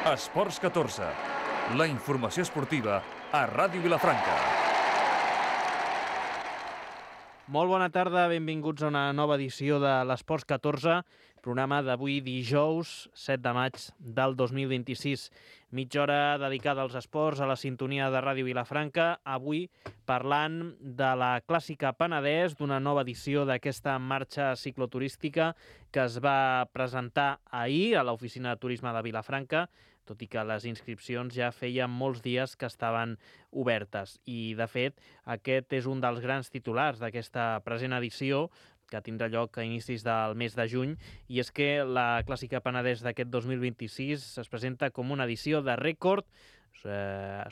Esports 14, la informació esportiva a Ràdio Vilafranca. Molt bona tarda, benvinguts a una nova edició de l'Esports 14, programa d'avui dijous 7 de maig del 2026. Mitja hora dedicada als esports, a la sintonia de Ràdio Vilafranca, avui parlant de la Clàssica Penedès, d'una nova edició d'aquesta marxa cicloturística que es va presentar ahir a l'Oficina de Turisme de Vilafranca, tot i que les inscripcions ja feien molts dies que estaven obertes. I, de fet, aquest és un dels grans titulars d'aquesta present edició, que tindrà lloc a inicis del mes de juny, i és que la Clàssica Penedès d'aquest 2026 es presenta com una edició de rècord,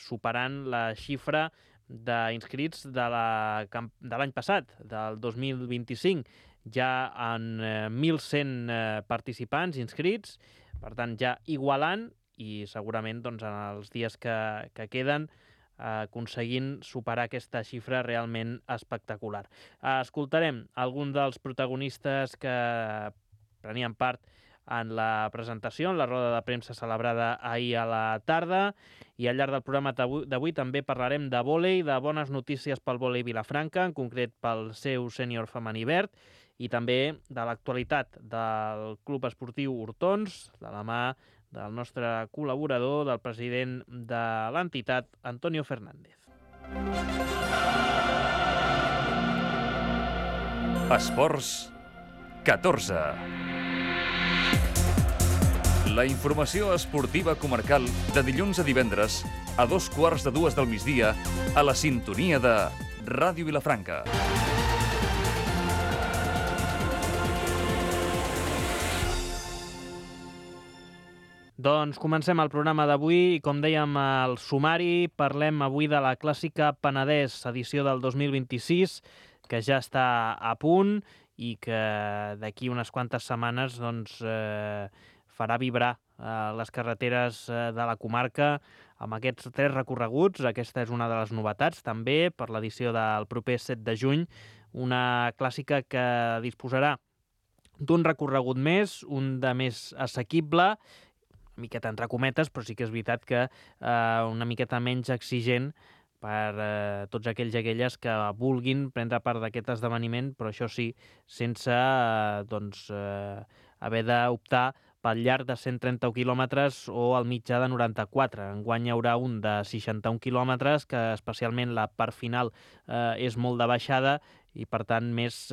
superant la xifra d'inscrits de l'any passat, del 2025. Ja en 1.100 participants inscrits, per tant ja igualant, i segurament doncs, en els dies que queden aconseguint superar aquesta xifra realment espectacular. Escoltarem algun dels protagonistes que prenien part en la presentació, en la roda de premsa celebrada ahir a la tarda, i al llarg del programa d'avui també parlarem de vòlei, de bones notícies pel vòlei Vilafranca, en concret pel seu sènior femení verd, i també de l'actualitat del Club Esportiu Hortons, de la mà del nostre col·laborador, del president de l'entitat, Antonio Fernández. Esports 14. La informació esportiva comarcal de dilluns a divendres a 2:15 del migdia a la sintonia de Ràdio Vilafranca. Doncs comencem el programa d'avui i, com dèiem al sumari, parlem avui de la Clàssica Penedès, edició del 2026, que ja està a punt i que d'aquí unes quantes setmanes doncs, farà vibrar les carreteres de la comarca amb aquests 3 recorreguts. Aquesta és una de les novetats, també, per l'edició del proper 7 de juny, una clàssica que disposarà d'un recorregut més, un de més assequible, una miqueta entre cometes, però sí que és veritat que una miqueta menys exigent per tots aquells i aquelles que vulguin prendre part d'aquest esdeveniment, però això sí, sense haver d'optar pel llarg de 131 quilòmetres o el mitjà de 94. Enguany hi haurà un de 61 quilòmetres, que especialment la part final és molt de baixada i, per tant, més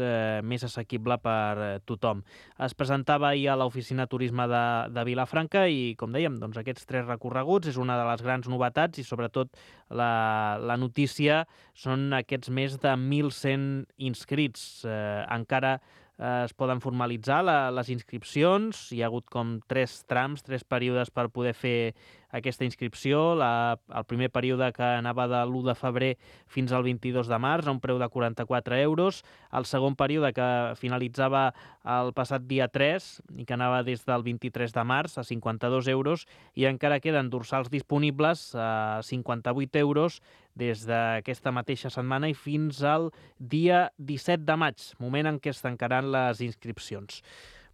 assequible per tothom. Es presentava ahir a l'Oficina de Turisme de Vilafranca i, com dèiem, doncs aquests 3 recorreguts és una de les grans novetats i, sobretot, la notícia són aquests més de 1.100 inscrits. Encara es poden formalitzar les inscripcions. Hi ha hagut com 3 trams, 3 períodes per poder fer aquesta inscripció. El primer període, que anava de l'1 de febrer fins al 22 de març, a un preu de 44 euros. El segon període, que finalitzava el passat dia 3 i que anava des del 23 de març, a 52 euros. I encara queden dorsals disponibles a 58 euros des d'aquesta mateixa setmana i fins al dia 17 de maig, moment en què es tancaran les inscripcions.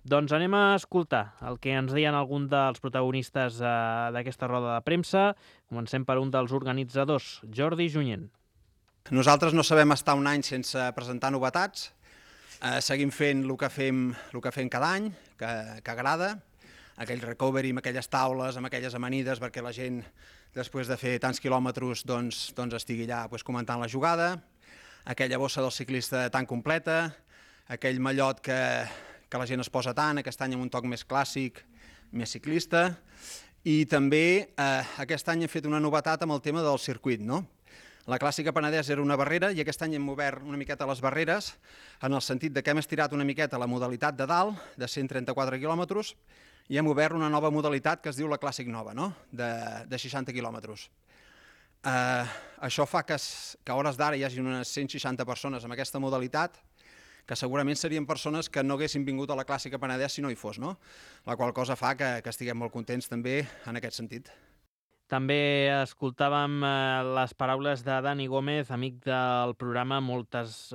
Doncs anem a escoltar el que ens deien alguns dels protagonistes d'aquesta roda de premsa. Comencem per un dels organitzadors, Jordi Junyent. Nosaltres no sabem estar un any sense presentar novetats. Seguim fent el que fem cada any, que agrada. Aquell recovery amb aquelles taules, amb aquelles amanides, perquè la gent, després de fer tants quilòmetres, doncs estigui allà comentant la jugada. Aquella bossa del ciclista tan completa, aquell mallot que la gent es posa tant, aquest any amb un toc més clàssic, més ciclista. I també aquest any hem fet una novetat amb el tema del circuit, no? La Clàssica Penedès era una barrera i aquest any hem obert una miqueta les barreres en el sentit que hem estirat una miqueta la modalitat de dalt, de 134 quilòmetres, i hem obert una nova modalitat que es diu la Clàssic Nova, no? De 60 quilòmetres. Això fa que a hores d'ara hi hagi unes 160 persones amb aquesta modalitat, que segurament serien persones que no haguessin vingut a la Clàssica Penedès si no hi fos, no? La qual cosa fa que estiguem molt contents també en aquest sentit. També escoltàvem les paraules de Dani Gómez, amic del programa. Moltes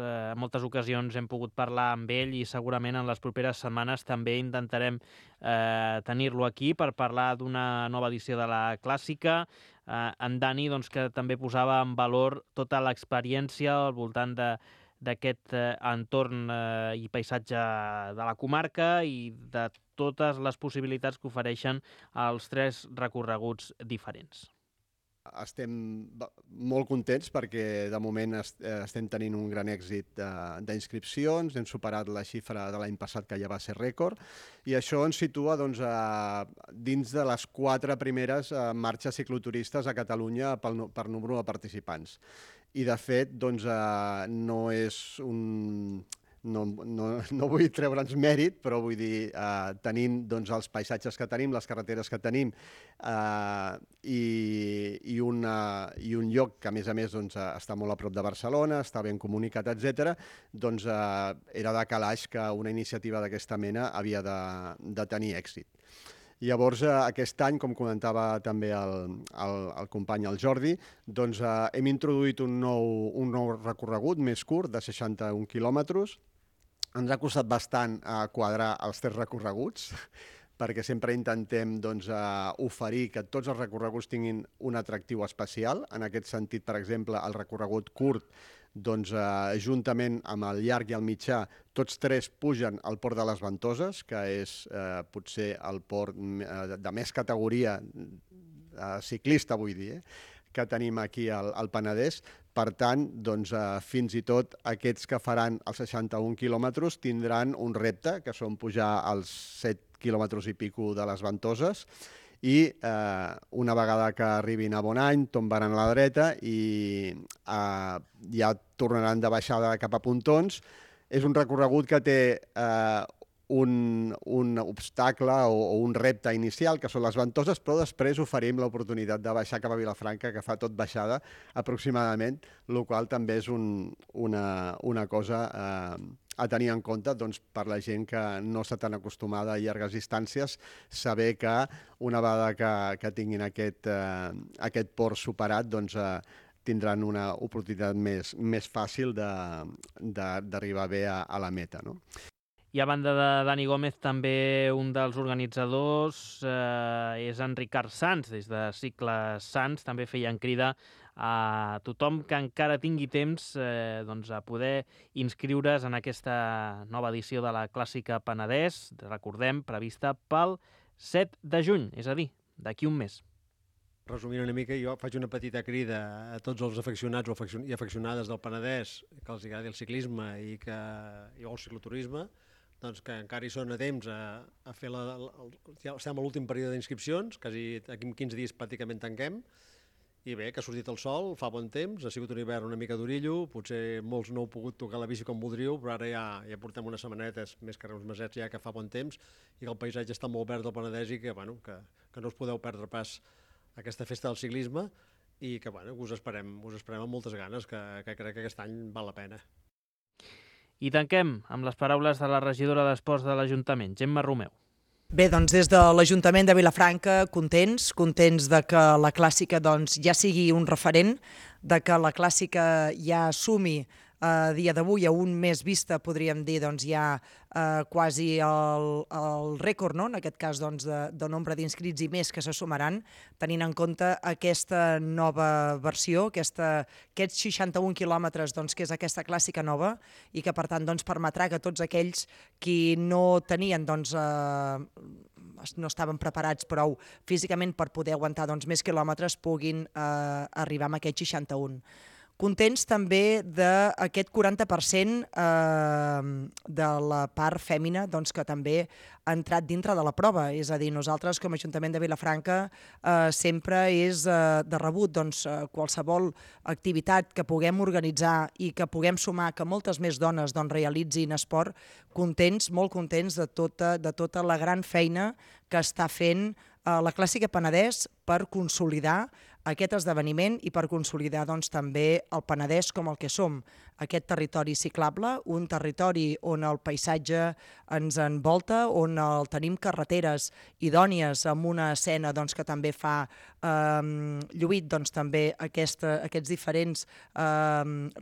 ocasions hem pogut parlar amb ell i segurament en les properes setmanes també intentarem tenir-lo aquí per parlar d'una nova edició de la Clàssica. En Dani, doncs, que també posava en valor tota l'experiència al voltant d'aquest entorn i paisatge de la comarca i de totes les possibilitats que ofereixen els 3 recorreguts diferents. Estem molt contents perquè de moment estem tenint un gran èxit d'inscripcions, hem superat la xifra de l'any passat que ja va ser rècord i això ens situa dins de les 4 primeres marxes cicloturistes a Catalunya per número de participants. I de fet no és un... No vull treure'ns mèrit, però vull dir, tenint els paisatges que tenim, les carreteres que tenim i un lloc que, a més, està molt a prop de Barcelona, està ben comunicat, etc., era de calaix que una iniciativa d'aquesta mena havia de tenir èxit. Llavors, aquest any, com comentava també el company, el Jordi, hem introduït un nou recorregut més curt, de 61 quilòmetres. Ens ha costat bastant quadrar els 3 recorreguts, perquè sempre intentem oferir que tots els recorreguts tinguin un atractiu especial. En aquest sentit, per exemple, el recorregut curt, juntament amb el llarg i el mitjà, tots 3 pugen al Port de les Ventoses, que és potser el port de més categoria ciclista, vull dir, que tenim aquí al Penedès. Per tant, fins i tot aquests que faran els 61 quilòmetres tindran un repte, que són pujar als 7 quilòmetres i pico de les Ventoses, i una vegada que arribin a Bonany tombaran a la dreta i ja tornaran de baixada cap a Pontons. És un recorregut que té un obstacle o un repte inicial, que són les Ventoses, però després oferim l'oportunitat de baixar cap a Vilafranca, que fa tot baixada aproximadament, el qual també és una cosa a tenir en compte per la gent que no està tan acostumada a llargues distàncies, saber que una vegada que tinguin aquest port superat, tindran una oportunitat més fàcil d'arribar bé a la meta, no? I a banda de Dani Gómez, també un dels organitzadors és en Ricard Sans, des de Cicle Sans. També feien crida a tothom que encara tingui temps a poder inscriure's en aquesta nova edició de la Clàssica Penedès, recordem, prevista pel 7 de juny, és a dir, d'aquí un mes. Resumint una mica, jo faig una petita crida a tots els afeccionats i afeccionades del Penedès que els agradi el ciclisme i el cicloturisme, que encara hi són a temps a fer ja estem a l'últim període d'inscripcions, quasi aquí en 15 dies pràcticament tanquem, i bé, que ha sortit el sol, fa bon temps, ha sigut un hivern una mica d'orillo, potser molts no heu pogut tocar la bici com voldríeu, però ara ja portem unes setmanetes, més que uns mesets ja que fa bon temps, i que el paisatge està molt verd del Penedès i que no us podeu perdre pas aquesta festa del ciclisme i que us esperem amb moltes ganes, que crec que aquest any val la pena. I tanquem amb les paraules de la regidora d'Esports de l'Ajuntament, Gemma Romeu. Bé, doncs des de l'Ajuntament de Vilafranca, contents de que la Clàssica ja sigui un referent, de que la Clàssica ja sumi a dia d'avui, a un mes vista, podríem dir, ja quasi el rècord, no? En aquest cas, de nombre d'inscrits i més que se sumaran, tenint en compte aquesta nova versió, aquests 61 quilòmetres, que és aquesta Clàssica nova, i que, per tant, permetrà que tots aquells qui no tenien, no estaven preparats prou físicament per poder aguantar més quilòmetres puguin arribar amb aquests 61. Contents també d'aquest 40% de la part fèmina que també ha entrat dintre de la prova. És a dir, nosaltres com a Ajuntament de Vilafranca sempre és de rebut qualsevol activitat que puguem organitzar i que puguem sumar que moltes més dones realitzin esport, contents, molt contents de tota la gran feina que està fent la Clàssica Penedès per consolidar aquest esdeveniment i per consolidar també el Penedès com el que som. aquest territori ciclable, un territori on el paisatge ens envolta, on el tenim carreteres idònies amb una escena doncs, que també fa lluït doncs, també aquests diferents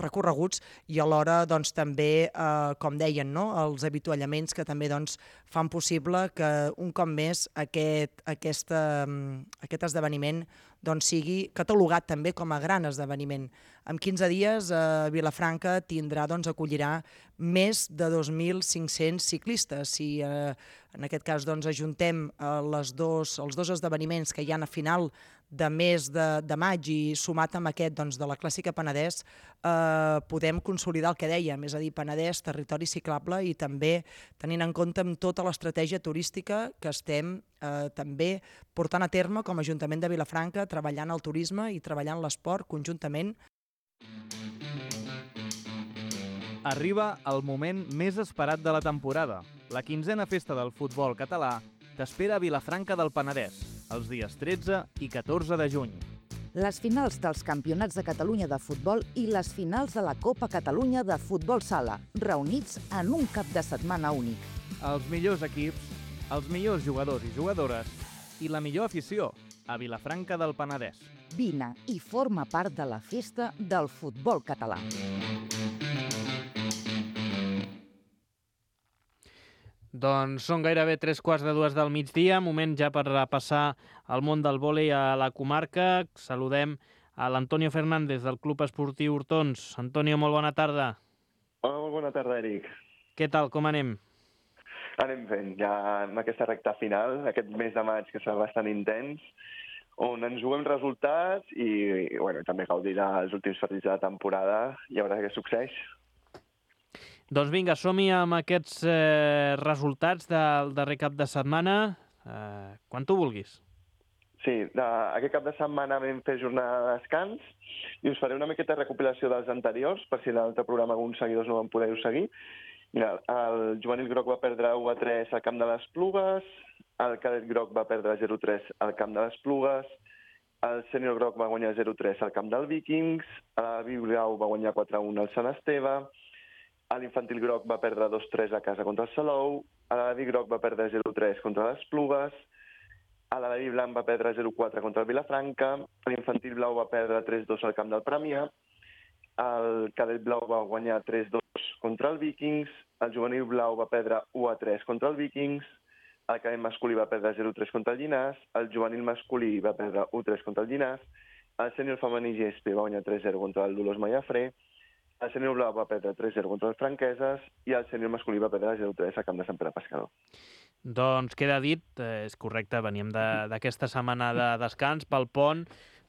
recorreguts i alhora doncs, també, com deien, no? Els avituallaments que també doncs, fan possible que un cop més aquest esdeveniment doncs, sigui catalogat també com a gran esdeveniment. En 15 dies Vilafranca acollirà més de 2.500 ciclistes. Si en aquest cas doncs, ajuntem els dos esdeveniments que hi ha a final de mes de maig i sumat amb aquest doncs, de la Clàssica Penedès, podem consolidar el que dèiem, és a dir, Penedès, territori ciclable i també tenint en compte amb tota l'estratègia turística que estem també portant a terme com a Ajuntament de Vilafranca, treballant el turisme i treballant l'esport conjuntament. Arriba el moment més esperat de la temporada. La 15a festa del futbol català t'espera a Vilafranca del Penedès, els dies 13 i 14 de juny. Les finals dels Campionats de Catalunya de futbol i les finals de la Copa Catalunya de futbol sala, reunits en un cap de setmana únic. Els millors equips, els millors jugadors i jugadores i la millor afició a Vilafranca del Penedès. Vine i forma part de la festa del futbol català. Doncs són gairebé 3:15 del migdia, moment ja per repassar el món del vòlei a la comarca. Saludem a l'Antonio Fernández del Club Esportiu Hortons. Antonio, molt bona tarda. Hola, molt bona tarda, Eric. Què tal, com anem? Anem fent, ja en aquesta recta final, aquest mes de maig que serà bastant intens, on ens juguem resultats i bueno, també gaudir dels últims partits de la temporada i a veure què succeeix. Doncs vinga, som-hi amb aquests resultats del darrer cap de setmana. Quan tu vulguis. Sí, aquest cap de setmana vam fer jornada de descans i us faré una miqueta de recopilació dels anteriors, per si l'altre programa alguns seguidors no van poder-ho seguir. Mira, el juvenil groc va perdre 1-3 al camp de les Plugues, el cadet groc va perdre 0-3 al camp de les Plugues, el sènior groc va guanyar 0-3 al camp del Vikings, el blau va guanyar 4-1 al Sant Esteve, l'infantil groc va perdre 2-3 a casa contra el Salou, l'Alaví groc va perdre 0-3 contra les Plugues, l'Alaví blanc va perdre 0-4 contra el Vilafranca, l'infantil blau va perdre 3-2 al camp del Premià, el cadet blau va guanyar 3-2 contra el Vikings, el juvenil blau va perdre 1-3 contra el Vikings, el cadet masculí va perdre 0-3 contra el Llinars, el juvenil masculí va perdre 1-3 contra el Llinars, el sènior femení GSP va guanyar 3-0 contra el Dolors Mallafré, el sènior blau va perdre 3-0 contra els Franqueses i el sènior masculí va perdre 0-3 al camp de Sant Pere Pescador. Doncs queda dit, és correcte, veníem d'aquesta setmana de descans pel pont.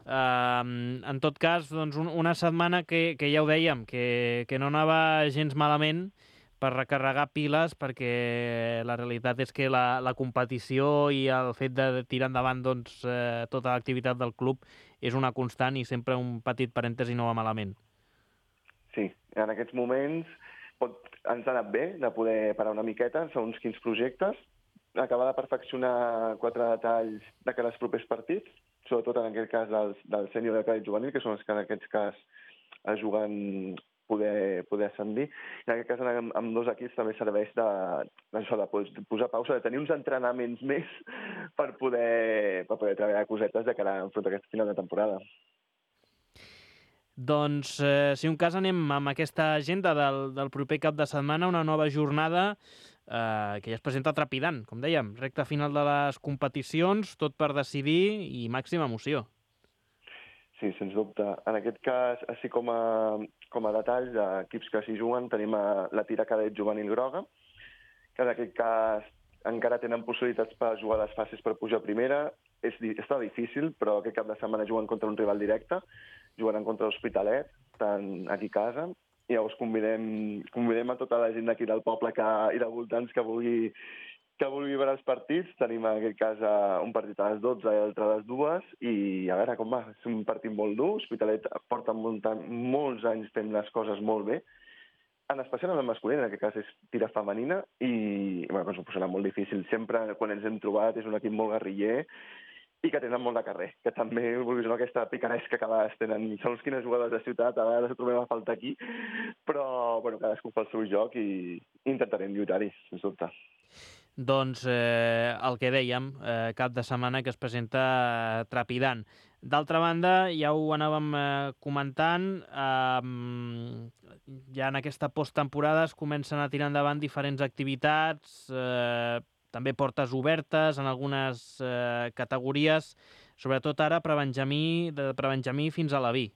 En tot cas, doncs, una setmana que ja ho dèiem, que no anava gens malament per recarregar piles, perquè la realitat és que la competició i el fet de tirar endavant doncs, tota l'activitat del club és una constant i sempre un petit parèntesi no va malament. Sí, en aquests moments ens ha anat bé de poder parar una miqueta en segons quins projectes, acabar de perfeccionar 4 detalls de cara als propers partits, sobretot en aquest cas del sènior i del cadet juvenil, que són els que en aquest cas es juguen poder ascendir. I en aquest cas amb 2 equips també serveix de posar pausa, de tenir uns entrenaments més per poder treballar cosetes de cara a aquest final de temporada. Doncs, si un cas, anem amb aquesta agenda del proper cap de setmana, una nova jornada que ja es presenta trepidant, com dèiem, recta final de les competicions, tot per decidir i màxima emoció. Sí, sens dubte. En aquest cas, així com a detalls d'equips que s'hi juguen, tenim la Tira Cadet Juvenil Groga, que en aquest cas encara tenen possibilitats per jugar les fases per pujar a primera. Està difícil, però aquest cap de setmana juguen contra un rival directe, jugaran contra l'Hospitalet, tant aquí a casa, i llavors convidem a tota la gent d'aquí del poble i de voltants que vulgui veure els partits. Tenim en aquest cas un partit a les 12 i l'altre a les 2, i a veure com va. És un partit molt dur, l'Hospitalet porta molts anys fent les coses molt bé, en especial en el masculí, en aquest cas és tira femenina, i bueno, s'ho posarà molt difícil. Sempre, quan ens hem trobat, és un equip molt guerriller, i que tenen molt de carrer, que també, vulguis o no, aquesta picaresca que a vegades tenen. Segons quines jugadors de ciutat, a vegades ho trobem a faltar aquí, però bueno, cadascú fa el seu joc i intentarem lluitar-hi, sens dubte. Doncs el que dèiem, cap de setmana que es presenta trepidant. D'altra banda, ja ho anàvem comentant, ja en aquesta posttemporada es comencen a tirar endavant diferents activitats, també portes obertes en algunes categories, sobretot ara de prebenjamí fins a la B.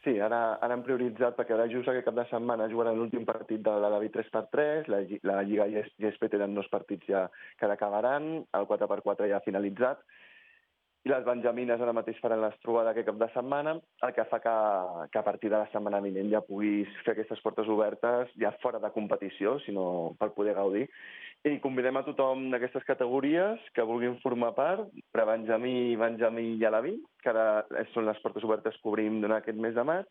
Sí, ara hem prioritzat, perquè ara just aquest cap de setmana jugaran l'últim partit de la B 3x3, la Lliga GSP tenen 2 partits ja que acabaran, el 4x4 ja ha finalitzat, i les benjamines ara mateix faran les trobades aquest cap de setmana, el que fa que a partir de la setmana vinent ja puguis fer aquestes portes obertes ja fora de competició, sinó per poder gaudir. I convidem a tothom d'aquestes categories que vulguin formar part, prebenjamí, benjamí i alaví, que ara són les portes obertes que obrim durant aquest mes de maig,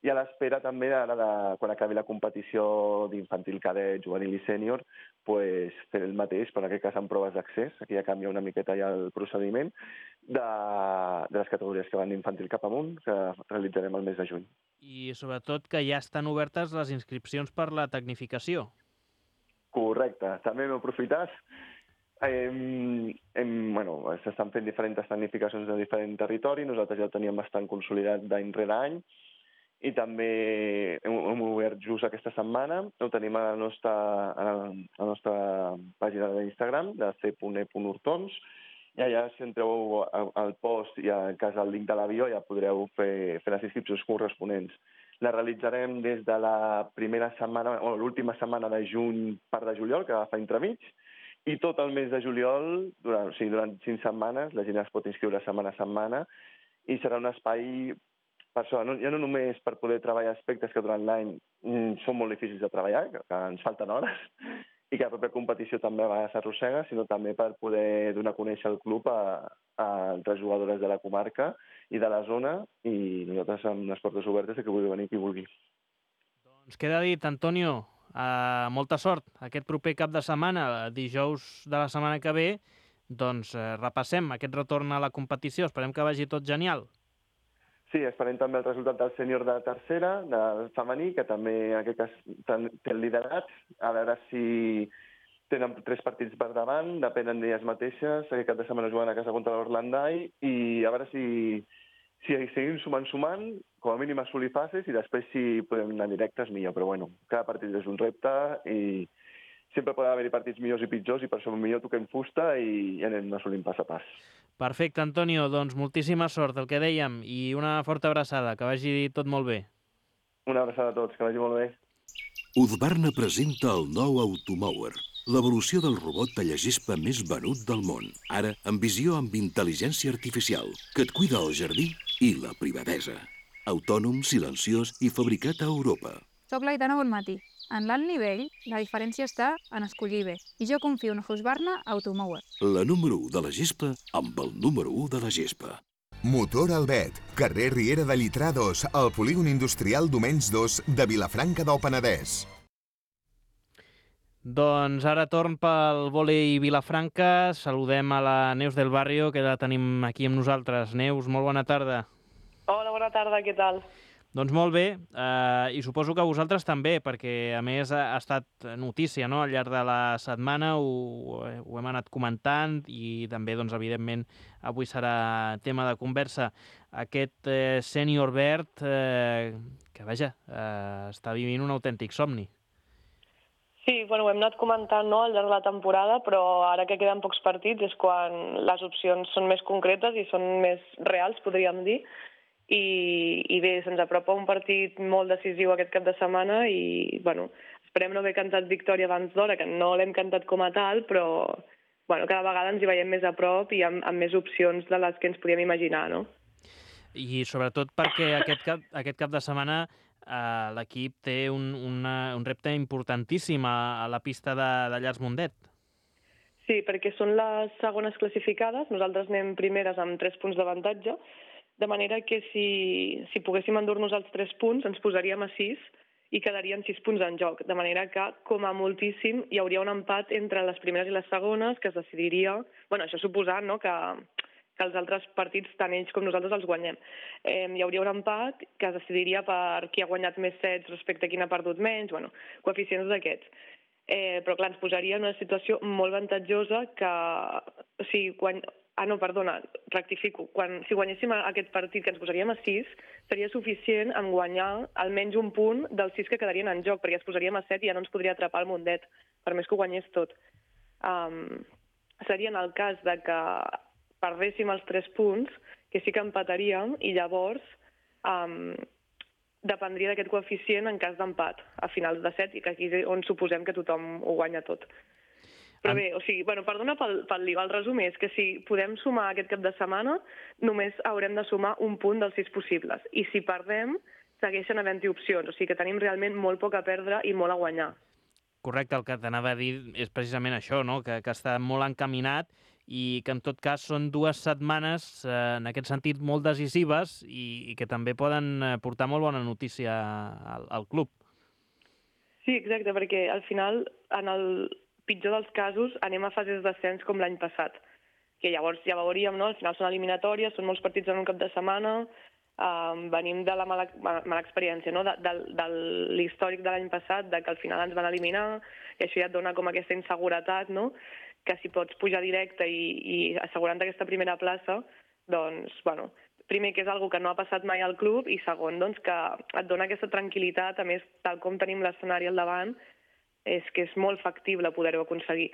i a l'espera també ara quan acabi la competició d'infantil cadet, juvenil i sènior, pues, fer el mateix, però en aquest cas amb proves d'accés, aquí ja canvia una miqueta ja el procediment, de les categories que van d'infantil cap amunt, que realitzarem el mes de juny. I sobretot que ja estan obertes les inscripcions per la tecnificació. Correcte, també m'ho aprofitat. S'estan fent diferents tecnificacions de diferent territori, nosaltres ja ho teníem bastant consolidat d'any rere any, i també hem obert just aquesta setmana, ho tenim a la nostra pàgina d'Instagram, de c.e.urtons, i allà si entreu al post i en cas del link de l'avió ja podreu fer les inscripcions corresponents. La realitzarem des de la primera setmana, o l'última setmana de juny, part de juliol, que agafa entremig, i tot el mes de juliol, durant 5 setmanes, la gent es pot inscriure setmana a setmana, i serà un espai per això, ja no només per poder treballar aspectes que durant l'any són molt difícils de treballar, que ens falten hores, i que la propia competició també a vegades s'arrossega, sinó també per poder donar a conèixer el club a altres jugadores de la comarca i de la zona, i nosaltres amb les portes obertes que vulgui venir qui vulgui. Doncs queda dit, Antonio, molta sort aquest proper cap de setmana, dijous de la setmana que ve, doncs repassem aquest retorn a la competició, esperem que vagi tot genial. Sí, esperem també el resultat del sènior de tercera, del femení, que també en aquest cas té el liderat, a veure si tenen 3 partits per davant, depenen d'elles mateixes, aquest cap de setmana jugant a casa contra l'Orlandai, i a veure si seguim sumant, com a mínim assolir fases, i després si podem anar directes millor, però bueno, cada partit és un repte, i sempre poden haver-hi partits millors i pitjors, i per això millor toquem fusta i anem assolint pas a pas. Perfecte, Antonio, doncs moltíssima sort, el que dèiem, i una forta abraçada, que vagi tot molt bé. Una abraçada a tots, que vagi molt bé. Husqvarna presenta el nou Automower, l'evolució del robot tallagespa més venut del món, ara amb visió amb intel·ligència artificial, que et cuida el jardí i la privadesa. Autònom, silenciós i fabricat a Europa. Soc l'Aitana Bonmatí. En l'alt nivell, la diferència està en escollir bé, i jo confio en Husqvarna Automower. La número 1 de la gespa amb el número 1 de la gespa. Motor Albet, carrer Riera de Llitrà 2, al polígon industrial Domenys 2 de Vilafranca del Penedès. Doncs ara torn pel vòlei Vilafranca. Saludem a la Neus del Barrio, que la tenim aquí amb nosaltres. Neus, molt bona tarda. Hola, bona tarda, què tal? Doncs molt bé, i suposo que vosaltres també, perquè a més ha estat notícia, no?, al llarg de la setmana, ho hem anat comentant, i també, doncs, evidentment, avui serà tema de conversa. Aquest sènior verd, que, vaja, està vivint un autèntic somni. Sí, bueno, ho hem anat comentant, no?, al llarg de la temporada, però ara que queden pocs partits és quan les opcions són més concretes i són més reals, podríem dir. I bé, se'ns apropa un partit molt decisiu aquest cap de setmana i, bueno, esperem no haver cantat victòria abans d'hora, que no l'hem cantat com a tal, però, bueno, cada vegada ens hi veiem més a prop i amb més opcions de les que ens podíem imaginar, no? I sobretot perquè aquest cap de setmana l'equip té un repte importantíssim a la pista de Llars Mundet. Sí, perquè són les segones classificades, nosaltres anem primeres amb 3 punts d'avantatge, de manera que si poguéssim endur-nos els 3 punts ens posaríem a 6 i quedarien 6 punts en joc, de manera que, com a moltíssim, hi hauria un empat entre les primeres i les segones que es decidiria, bueno, això suposant, no?, que que els altres partits, tant ells com nosaltres, els guanyem. Hi hauria un empat que es decidiria per qui ha guanyat més sets respecte a qui n'ha perdut menys, bueno, coeficients d'aquests. Però clar, ens posaria en una situació molt avantatjosa que, o sigui, rectifico. Si guanyéssim aquest partit, que ens posaríem a 6, seria suficient en guanyar almenys un punt dels 6 que quedarien en joc, perquè es posaríem a 7 i ja no ens podria atrapar el Mundet, per més que ho guanyés tot. Seria en el cas de que perdéssim els 3 punts, que sí que empataríem, i llavors dependria d'aquest coeficient en cas d'empat, a finals de 7, i que aquí és on suposem que tothom ho guanya tot. Però bé, o sigui, perdona pel lío, el resum és que si podem sumar aquest cap de setmana, només haurem de sumar un punt dels 6 possibles. I si perdem, segueixen havent-hi opcions. O sigui que tenim realment molt poc a perdre i molt a guanyar. Correcte, el que t'anava a dir és precisament això, no? Que està molt encaminat i que en tot cas són 2 setmanes, en aquest sentit, molt decisives i que també poden portar molt bona notícia al club. Sí, exacte, perquè al final, en el pitjor dels casos, anem a fases d'ascens com l'any passat, que llavors ja veuríem, no? Al final són eliminatòries, són molts partits en un cap de setmana, venim de la mala experiència, no? De l'històric de l'any passat, de que al final ens van eliminar, i això ja et dona com aquesta inseguretat, no? Que si pots pujar directe i assegurant aquesta primera plaça, doncs, bueno, primer que és algo que no ha passat mai al club, i segon, doncs, que et dona aquesta tranquil·litat, a més, tal com tenim l'escenari al davant, és que és molt factible poder-ho aconseguir,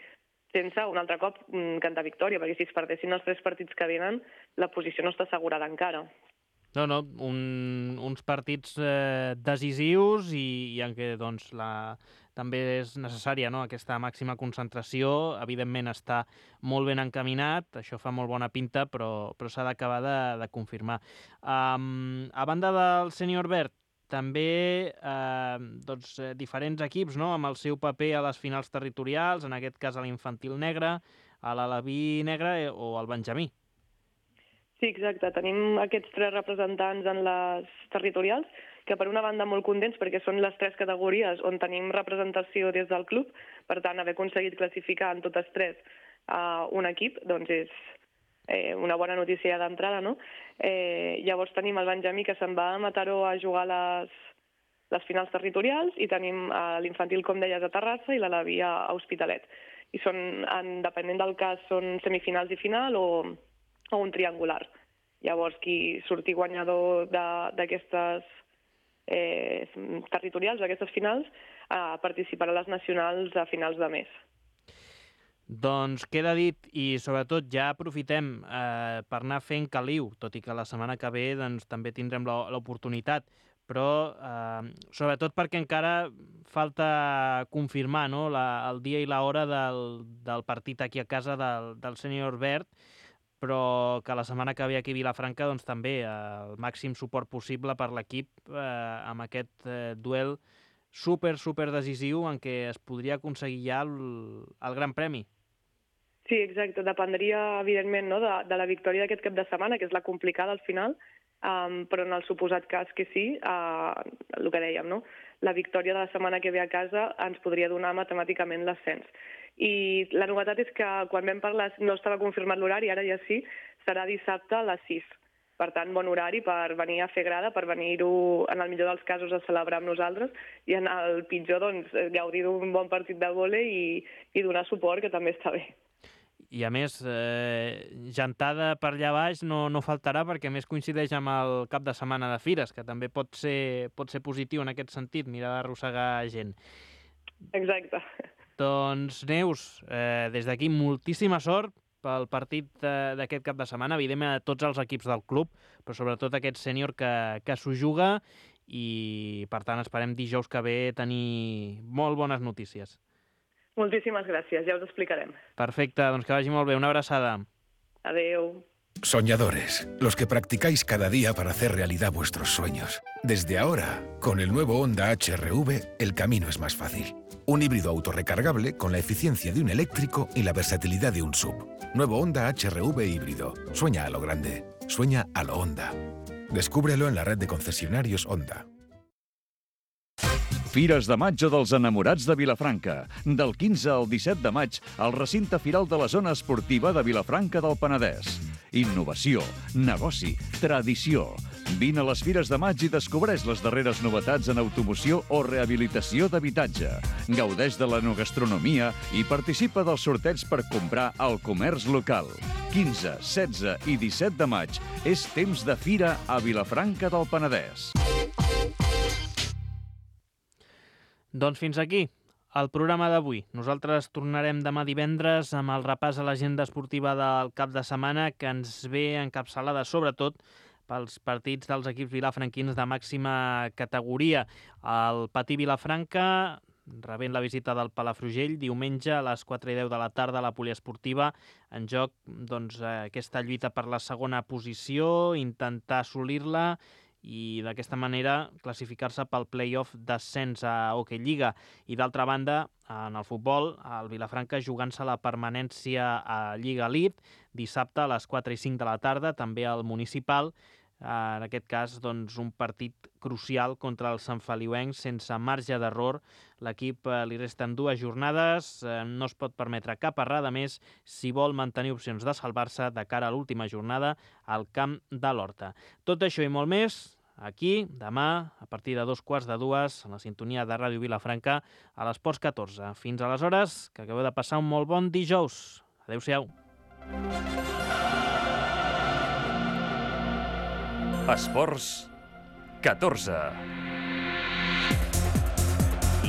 sense un altre cop cantar victòria, perquè si es perdessin els 3 partits que venen, la posició no està assegurada encara. No, uns partits decisius i en què doncs, també és necessària, no? Aquesta màxima concentració. Evidentment està molt ben encaminat, això fa molt bona pinta, però s'ha d'acabar de confirmar. A banda del sènior verd, també diferents equips, no? Amb el seu paper a les finals territorials, en aquest cas a l'infantil negre, a l'Alaví negre o al Benjamí. Sí, exacte. Tenim aquests 3 representants en les territorials, que per una banda molt contents perquè són les 3 categories on tenim representació des del club, per tant, haver aconseguit classificar en totes 3 un equip, doncs és una bona notícia d'entrada, no? Llavors tenim el Benjamí, que se'n va a Mataró a jugar les finals territorials, i tenim l'infantil, com deies, a Terrassa i l'Alaví a Hospitalet. I són, depenent del cas, són semifinals i final o un triangular. Llavors, qui surti guanyador d'aquestes territorials, d'aquestes finals, participarà a les nacionals a finals de mes. Doncs queda dit, i sobretot ja aprofitem per anar fent caliu, tot i que la setmana que ve doncs, també tindrem l'oportunitat, però sobretot perquè encara falta confirmar, no? El dia i l'hora del partit aquí a casa del sènior verd, però que la setmana que ve aquí a Vilafranca doncs, també el màxim suport possible per l'equip amb aquest duel super decisiu en què es podria aconseguir ja el Gran Premi. Sí, exacte. Dependria, evidentment, no, de la victòria d'aquest cap de setmana, que és la complicada al final, però en el suposat cas que sí, el que dèiem, no? La victòria de la setmana que ve a casa ens podria donar matemàticament l'ascens. I la novetat és que quan vam parlar no estava confirmat l'horari, ara ja sí, serà dissabte a les 6. Per tant, bon horari per venir a fer grada, per venir-ho, en el millor dels casos, a celebrar amb nosaltres, i en el pitjor, doncs, gaudir d'un bon partit de vòlei i donar suport, que també està bé. I a més, gentada per allà baix no faltarà, perquè a més coincideix amb el cap de setmana de Fires, que també pot ser positiu en aquest sentit, mirar d'arrossegar gent. Exacte. Doncs, Neus, des d'aquí moltíssima sort pel partit d'aquest cap de setmana, evidentment a tots els equips del club, però sobretot aquest sènior que s'ho juga, i per tant esperem dijous que ve tenir molt bones notícies. Moltíssimes gràcies, ja us explicarem. Perfecte, doncs que vagi molt bé. Una abraçada. Adeu. Soñadores, los que practicáis cada día para hacer realidad vuestros sueños. Desde ahora, con el nuevo Honda HR-V, el camino es más fácil. Un híbrido autorrecargable con la eficiencia de un eléctrico y la versatilidad de un SUV. Nuevo Honda HR-V híbrido. Sueña a lo grande. Sueña a lo Honda. Descúbrelo en la red de concesionarios Honda. Fires de maig dels enamorats de Vilafranca. Del 15 al 17 de maig, al recinte firal de la zona esportiva de Vilafranca del Penedès. innovació, negoci, tradició. Vine a les Fires de Maig i descobreix les darreres novetats en automoció o rehabilitació d'habitatge. Gaudeix de l'enogastronomia i participa dels sorteigs per comprar al comerç local. 15, 16 i 17 de maig és temps de fira a Vilafranca del Penedès. Doncs fins aquí el programa d'avui. Nosaltres tornarem demà divendres amb el repàs a l'agenda esportiva del cap de setmana, que ens ve encapçalada sobretot pels partits dels equips vilafranquins de màxima categoria. El Patí Vilafranca, rebent la visita del Palafrugell, diumenge a les 4:10 de la tarda a la poliesportiva, en joc aquesta lluita per la segona posició, intentar assolir-la i d'aquesta manera classificar-se pel play-off d'ascens a Hockey Lliga. I d'altra banda, en el futbol, el Vilafranca jugant-se la permanència a Lliga Elite, dissabte a les 4:05 de la tarda, també al Municipal. En aquest cas, un partit crucial contra els santfeliuencs sense marge d'error. L'equip li resten 2 jornades, no es pot permetre cap errada més si vol mantenir opcions de salvar-se de cara a l'última jornada al camp de l'Horta. Tot això i molt més aquí, demà, a partir de 2:15, en la sintonia de Ràdio Vilafranca, a l'Esports 14. Fins aleshores, que acabeu de passar un molt bon dijous. Adéu-siau. Esports 14.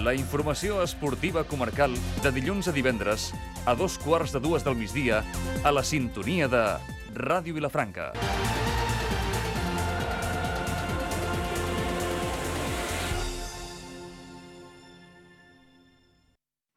La informació esportiva comarcal de dilluns a divendres a 2:15 del migdia a la sintonia de Ràdio Vilafranca.